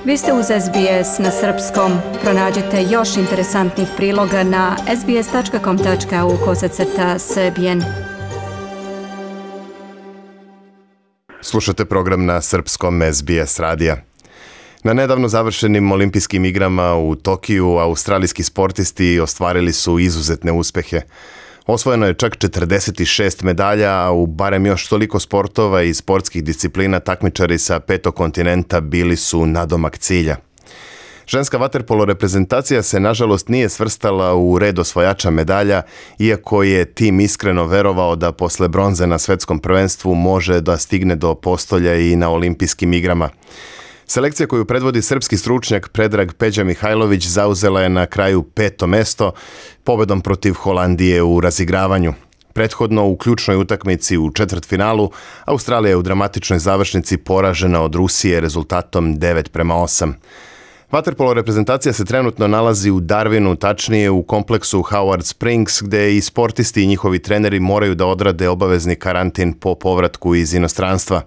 Vi ste uz SBS na srpskom. Pronađite još interesantnih priloga na sbs.com.au/srbijen. Slušate program na srpskom SBS radija. Na nedavno završenim olimpijskim igrama u Tokiju australijski sportisti ostvarili su izuzetne uspehe. Osvojeno je čak 46 medalja, a u barem još toliko sportova i sportskih disciplina takmičari sa 5. kontinenta bili su nadomak cilja. Ženska vaterpolo reprezentacija se nažalost nije svrstala u red osvajača medalja, iako je tim iskreno verovao da posle bronze na svetskom prvenstvu može da stigne do postolja i na olimpijskim igrama. Selekcija koju predvodi srpski stručnjak Predrag Peđa Mihajlović zauzela je na kraju 5. mesto pobedom protiv Holandije u razigravanju. Prethodno u ključnoj utakmici u četvrtfinalu Australija je u dramatičnoj završnici poražena od Rusije rezultatom 9:8. Vaterpolo reprezentacija se trenutno nalazi u Darwinu, tačnije u kompleksu Howard Springs, gde i sportisti i njihovi treneri moraju da odrade obavezni karantin po povratku iz inostranstva.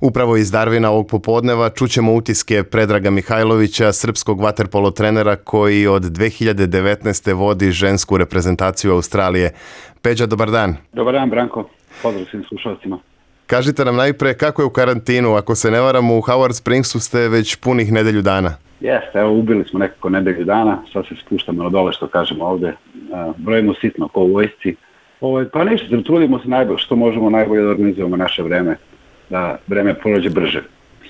Upravo iz Darwina ovog popodneva čućemo utiske Predraga Mihajlovića, srpskog vaterpolo trenera koji od 2019. vodi žensku reprezentaciju Australije. Peđa, dobar dan. Dobar dan, Branko. Pozdrav svim slušalcima. Kažite nam najpre kako je u karantinu. Ako se ne varam, u Howard Springsu ste već punih nedelju dana. Jeste, evo ubili smo nekako nedelju dana, sad se spuštamo na dole što kažemo ovde. Brojimo sitno ko u vojsci. Pa ništa, trudimo se najbolje, što možemo najbolje da organizujemo naše vreme, da vreme prođe brže.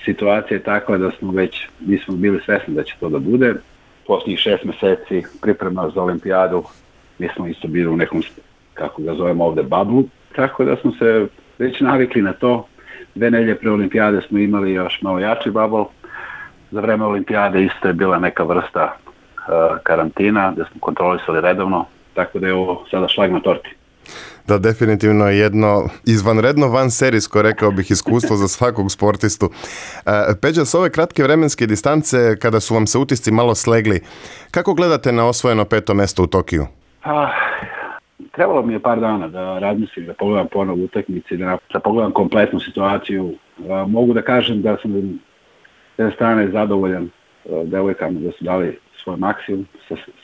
Situacija je takva da nismo bili svesni da će to da bude. Posljednjih 6 meseci priprema za olimpijadu, mi smo isto bili u nekom, kako ga zovemo ovde, bablu, tako da smo se već navikli na to. 2 nedelje pre olimpijade smo imali još malo jači bubble. Za vreme olimpijade isto je bila neka vrsta karantina gde smo kontrolisali redovno, tako da je ovo sada šlag na torti. Da, definitivno jedno izvanredno vanserijsko, rekao bih, iskustvo za svakog sportistu. Peđa, s ove kratke vremenske distance, kada su vam se utisci malo slegli, kako gledate na osvojeno 5. mesto u Tokiju? Trebalo mi je par dana da razmislim, da pogledam ponovo utakmici, da pogledam kompletnu situaciju. Mogu da kažem da sam s jedne strane zadovoljan devojkama da su dali svoj maksimum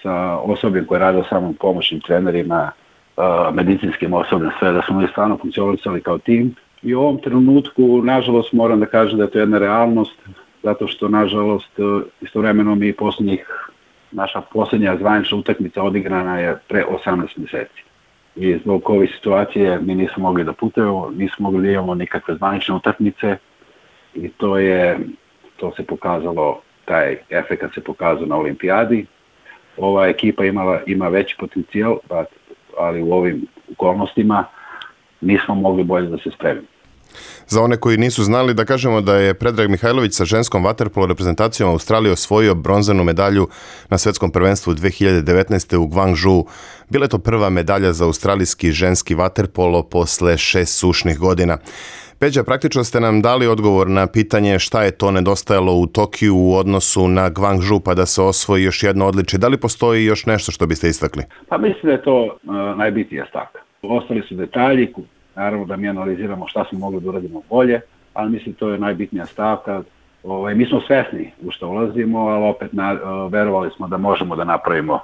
sa osobljem koje rade samom pomoćnim trenerima, medicinskim osobljem, sve da smo mi stvarno funkcionisali kao tim. I u ovom trenutku, nažalost, moram da kažem da je to jedna realnost, zato što, nažalost, istovremeno naša posljednja zvanična utakmica odigrana je pre 18 meseci. I zbog ove situacije mi nismo mogli da putujemo, nismo mogli da imamo nikakve zvanične utakmice i to se pokazalo, taj efekt se pokazao na olimpijadi. Ova ekipa ima veći potencijal, ali u ovim okolnostima nismo mogli bolje da se spremimo. Za one koji nisu znali, da kažemo da je Predrag Mihajlović sa ženskom vaterpolo reprezentacijom Australije osvojio bronzanu medalju na svetskom prvenstvu 2019. u Guangzhou. Bila je to prva medalja za australijski ženski vaterpolo posle 6 sušnih godina. Peđa, praktično ste nam dali odgovor na pitanje šta je to nedostajalo u Tokiju u odnosu na Guangzhou pa da se osvoji još jedno odličje. Da li postoji još nešto što biste istakli? Pa mislim da je to najbitnija stavka. Ostali su detalji, naravno da mi analiziramo šta smo mogli da uradimo bolje, ali mislim to je najbitnija stavka. Mi smo svesni u što ulazimo, ali opet verovali smo da možemo da napravimo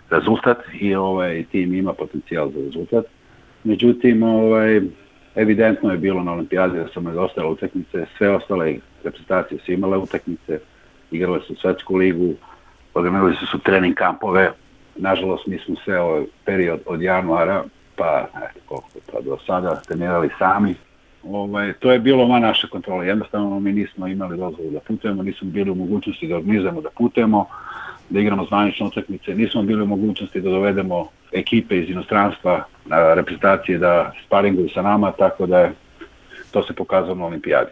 rezultat i tim ima potencijal za rezultat. Međutim, evidentno je bilo na olimpijadi da su nedostajale utakmice, sve ostale reprezentacije su imale utakmice, igrale su svetsku ligu, organizovali su trening kampove. Nažalost, mi smo sve ovaj period od januara pa do sada trenirali sami. To je bilo van naše kontrole. Jednostavno mi nismo imali dozvolu da putujemo, nismo bili u mogućnosti da organizujemo da putujemo, da igramo zvanične utakmice, nismo bili u mogućnosti da dovedemo ekipe iz inostranstva na reprezentacije da sparinguju sa nama, tako da to se pokazalo na olimpijadi.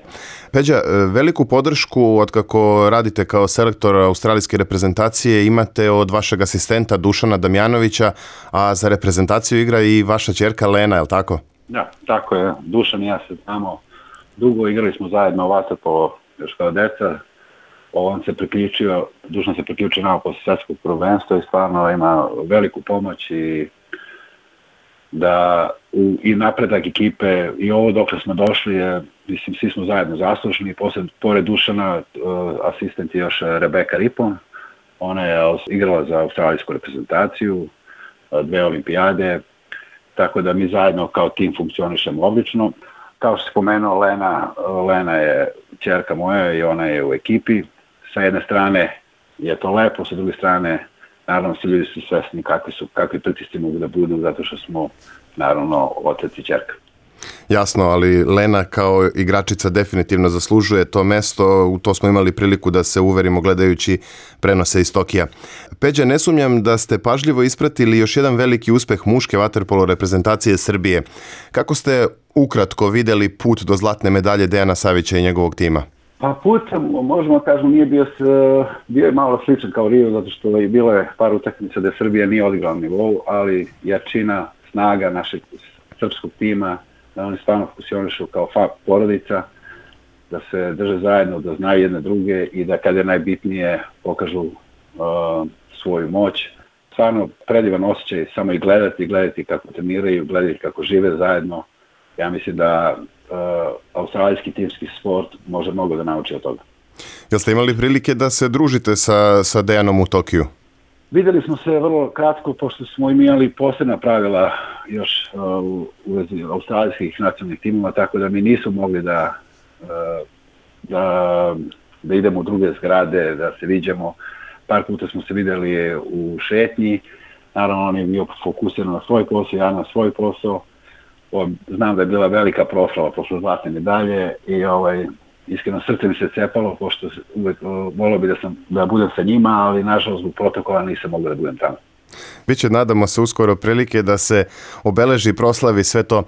Peđa, veliku podršku od kako radite kao selektor australijske reprezentacije imate od vašeg asistenta Dušana Damjanovića, a za reprezentaciju igra i vaša ćerka Lena, je li tako? Da, tako je. Dušan i ja se znamo dugo, igrali smo zajedno vaterpolo još kao deca. Dušan se priključio nama posle svetskog prvenstva i stvarno ima veliku pomoć i da i napredak ekipe i ovo dokle smo došli je, mislim, svi smo zajedno zaslužni. Pored Dušana, asistent je još Rebeka Ripon. Ona je igrala za australijsku reprezentaciju, 2 olimpijade, tako da mi zajedno kao tim funkcionišemo odlično. Kao što se spomenuo, Lena je ćerka moja i ona je u ekipi. Sa jedne strane je to lepo, sa druge strane naravno svi ljudi su svesni kakvi pritisci mogu da budu, zato što smo naravno otac i ćerka. Jasno, ali Lena kao igračica definitivno zaslužuje to mesto, u to smo imali priliku da se uverimo gledajući prenose iz Tokija. Peđa, ne sumnjam da ste pažljivo ispratili još jedan veliki uspeh muške vaterpolo reprezentacije Srbije. Kako ste ukratko videli put do zlatne medalje Dejana Savića i njegovog tima? Pa put, možemo kažemo, nije bio je malo sličan kao Rio, zato što je bilo je par utakmica da Srbija nije odigrala na nivou, ali jačina, snaga našeg srpskog tima, da oni stvarno funkcionišu kao porodica, da se drže zajedno, da znaju jedne druge i da kada je najbitnije pokažu svoju moć. Stvarno predivan osjećaj samo i gledati kako treniraju, gledati kako žive zajedno. Ja mislim da australijski timski sport može mnogo da nauči od toga. Jel ste imali prilike da se družite sa Dejanom u Tokiju? Videli smo se vrlo kratko, pošto smo imali posebna pravila još u vezi australijskih nacionalnih timova, tako da mi nisu mogli da idemo u druge zgrade, da se viđamo. Par puta smo se videli u šetnji, naravno on je bio fokusiran na svoj posao, ja na svoj posao. Znam da je bila velika proslava posle zlatne medalje i iskreno srce mi se cepalo, pošto uvek volio bi da budem sa njima, ali nažalost zbog protokola nisam mogao da budem tamo. Biće, nadamo se, uskoro prilike da se obeleži, proslavi sve to.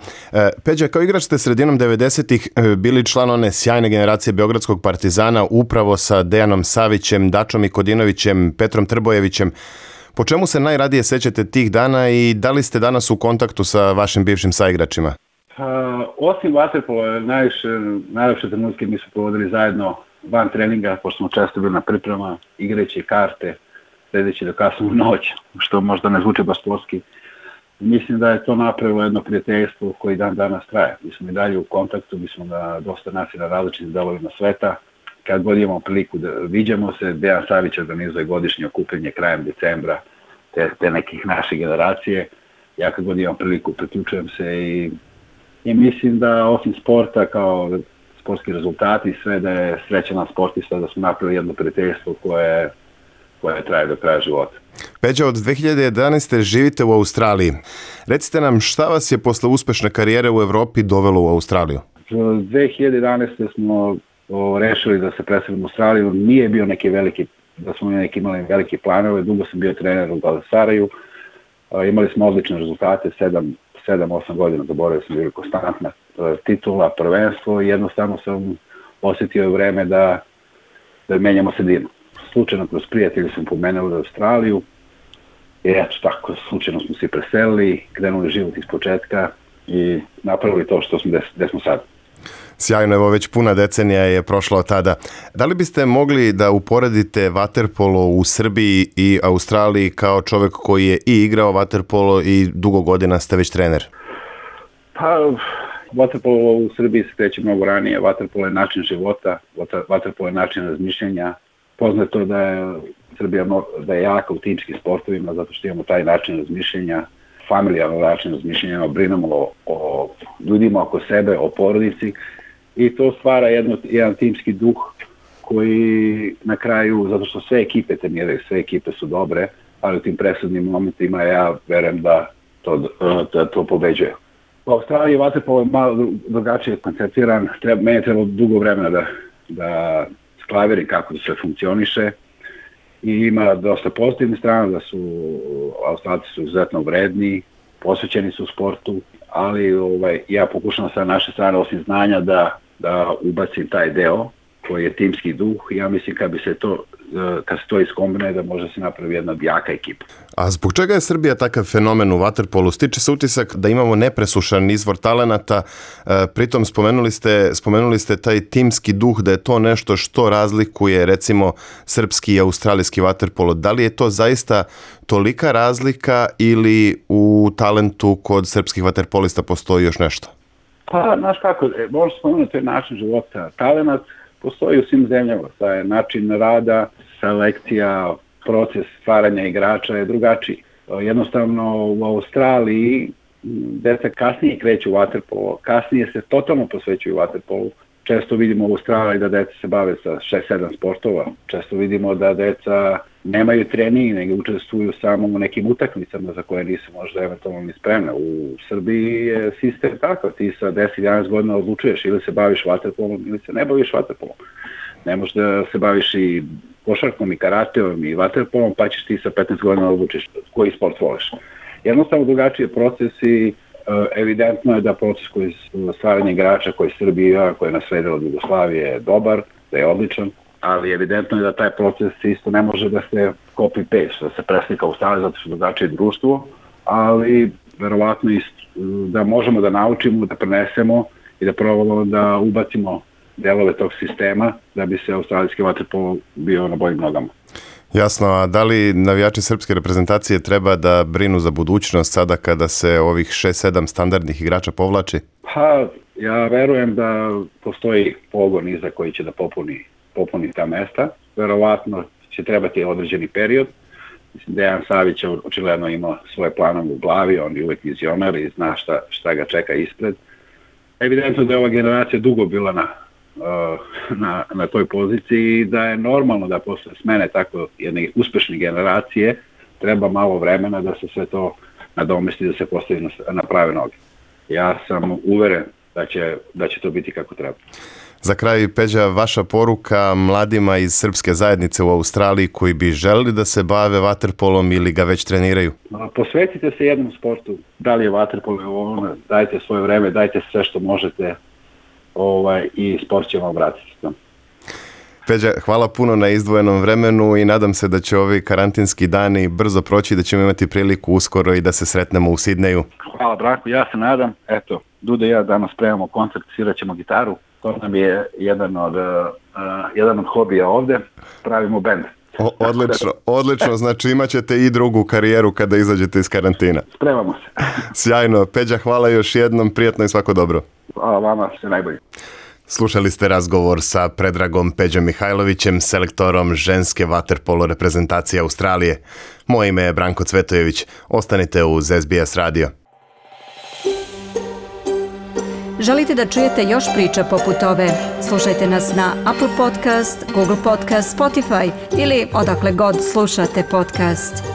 Peđa, kao igrač ste sredinom 90-ih bili član one sjajne generacije Beogradskog Partizana, upravo sa Dejanom Savićem, Dačom Mikodinovićem, Petrom Trbojevićem. Po čemu se najradije sećate tih dana i da li ste danas u kontaktu sa vašim bivšim saigračima? Osim vaterpola, najlepše trenutke mi smo provodili zajedno van treninga, pošto smo često bili na priprema, igrajući karte, sledeći do kasnu noć, što možda ne zvuči baš sportski. Mislim da je to napravilo jedno prijateljstvo koji dan danas traje. Mi smo i dalje u kontaktu, mi smo na dosta nacija na različitim delovima sveta. Kad god imamo priliku da viđamo se, Dejan Savić organizuje godišnje okupljanje krajem decembra te nekih naše generacije. Ja kad god imam priliku priključujem se i mislim da osim sporta kao sportski rezultati i sve da je srećan sportista, da smo napravili jedno prijateljstvo koje traje do kraja života. Peđa, od 2011. živite u Australiji. Recite nam šta vas je posle uspešne karijere u Evropi dovelo u Australiju? 2011. smo rešili da se preselimo u Australiju. Nije bio neki veliki, da smo imali velike planove. Dugo sam bio trener u Galatasaraju. Imali smo odlične rezultate, 7-8 godina, zaboravio sam, bili konstantna titula, prvenstvo i jednostavno sam osjetio vreme da menjamo sredinu. Slučajno kroz prijatelji smo pomenuli Australiju i eto tako, slučajno smo se preselili, krenuli život iz početka i napravili to gde smo sad. Sjajno, evo već puna decenija je prošla od tada. Da li biste mogli da uporedite vaterpolo u Srbiji i Australiji kao čovek koji je i igrao vaterpolo i dugo godina ste već trener? Pa, vaterpolo u Srbiji se kreće mnogo ranije. Vaterpolo je način života, vaterpolo je način razmišljanja. Poznato je da je Srbija da je jaka u timskim sportovima zato što imamo taj način razmišljanja, familijarno način razmišljanja, brinemo o ljudima oko sebe, o porodici i to stvara jedan timski duh koji na kraju, zato što sve ekipe treniraju, sve ekipe su dobre, ali u tim presudnim momentima ja verujem da to pobeđuje. U Australiji vaterpolo je malo drugačije konceptiran, meni je trebalo dugo vremena da sklaverim kako sve funkcioniše i ima dosta pozitivnih strana, da su Australci su izuzetno vredni, posvećeni su sportu, ali ja pokušam sa naše strane osim znanja da ubacim taj deo koji je timski duh. Ja mislim kad bi se to kad se to iskombinuje da može se napravi jedna jaka ekipa. A zbog čega je Srbija takav fenomen u vaterpolu? Stiče se utisak da imamo nepresušan izvor talenata, pritom spomenuli ste taj timski duh, da je to nešto što razlikuje recimo srpski i australijski vaterpolo. Da li je to zaista tolika razlika ili u talentu kod srpskih vaterpolista postoji još nešto? Pa, znaš kako, možeš spomenuti, to je način života. Talenat postoji u svim zemljama, taj način rada, selekcija, proces stvaranja igrača je drugačiji. Jednostavno u Australiji deca kasnije kreću u vaterpolo, kasnije se totalno posvećuju vaterpolu. Često vidimo u Australiji da deca se bave sa 6-7 sportova. Često vidimo da deca nemaju trening, nego učestvuju samo u nekim utakmicama za koje nisu možda eventualno ni spremne. U Srbiji je sistem takav, ti sa 10-11 godina odlučuješ ili se baviš vaterpolom ili se ne baviš vaterpolom. Ne možeš da se baviš i košarkom i karateom i vaterpolom, pa ćeš ti sa 15 godina odlučiš koji sport voliš. Jednostavno drugačiji je proces i evidentno je da proces koji stvaranje igrača koji Srbija, koji je nasledila od Jugoslavije je dobar, da je odličan, ali evidentno je da taj proces isto ne može da se copy-paste, da se preslika u stvari zato što je drugačije društvo, ali verovatno da možemo da naučimo, da prenesemo i da probamo da ubacimo delove tog sistema da bi se australijski vaterpolo bio na boljim nogama. Jasno, a da li navijači srpske reprezentacije treba da brinu za budućnost sada kada se ovih 6-7 standardnih igrača povlači? Pa, ja verujem da postoji pogon iza koji će da popuni ta mesta. Verovatno će trebati određeni period. Mislim, Dejan Savić očigledno ima svoje planove u glavi, on je uvek vizionar i zna šta ga čeka ispred. Evidentno da je ova generacija dugo bila na toj poziciji i da je normalno da posle smene tako jedne uspešne generacije treba malo vremena da se sve to nadomesti, da se postavi na prave noge. Ja sam uveren da će to biti kako treba. Za kraj, Peđa, vaša poruka mladima iz srpske zajednice u Australiji koji bi želeli da se bave vaterpolom ili ga već treniraju? Posvetite se jednom sportu, da li je vaterpolo ili ono, dajte svoje vreme, dajte sve što možete i sport će vam vratiti. Peđa, hvala puno na izdvojenom vremenu i nadam se da će ovi karantinski dani brzo proći, da ćemo imati priliku uskoro i da se sretnemo u Sidneju. Hvala Branko, ja se nadam. Eto, Duda i ja danas spremamo koncert, svirat ćemo gitaru. To nam je jedan od hobija ovde. Pravimo bend. Odlično, znači imat ćete i drugu karijeru kada izađete iz karantina. Spremamo se. Sjajno. Peđa, hvala još jednom, prijatno i svako dobro. Hvala vama, sve najbolje. Slušali ste razgovor sa Predragom Peđom Mihajlovićem, selektorom ženske vaterpolo reprezentacije Australije. Moje ime je Branko Cvetojević. Ostanite uz SBS radio. Želite da čujete još priča poput ove? Slušajte nas na Apple Podcast, Google Podcast, Spotify ili odakle god slušate podcast.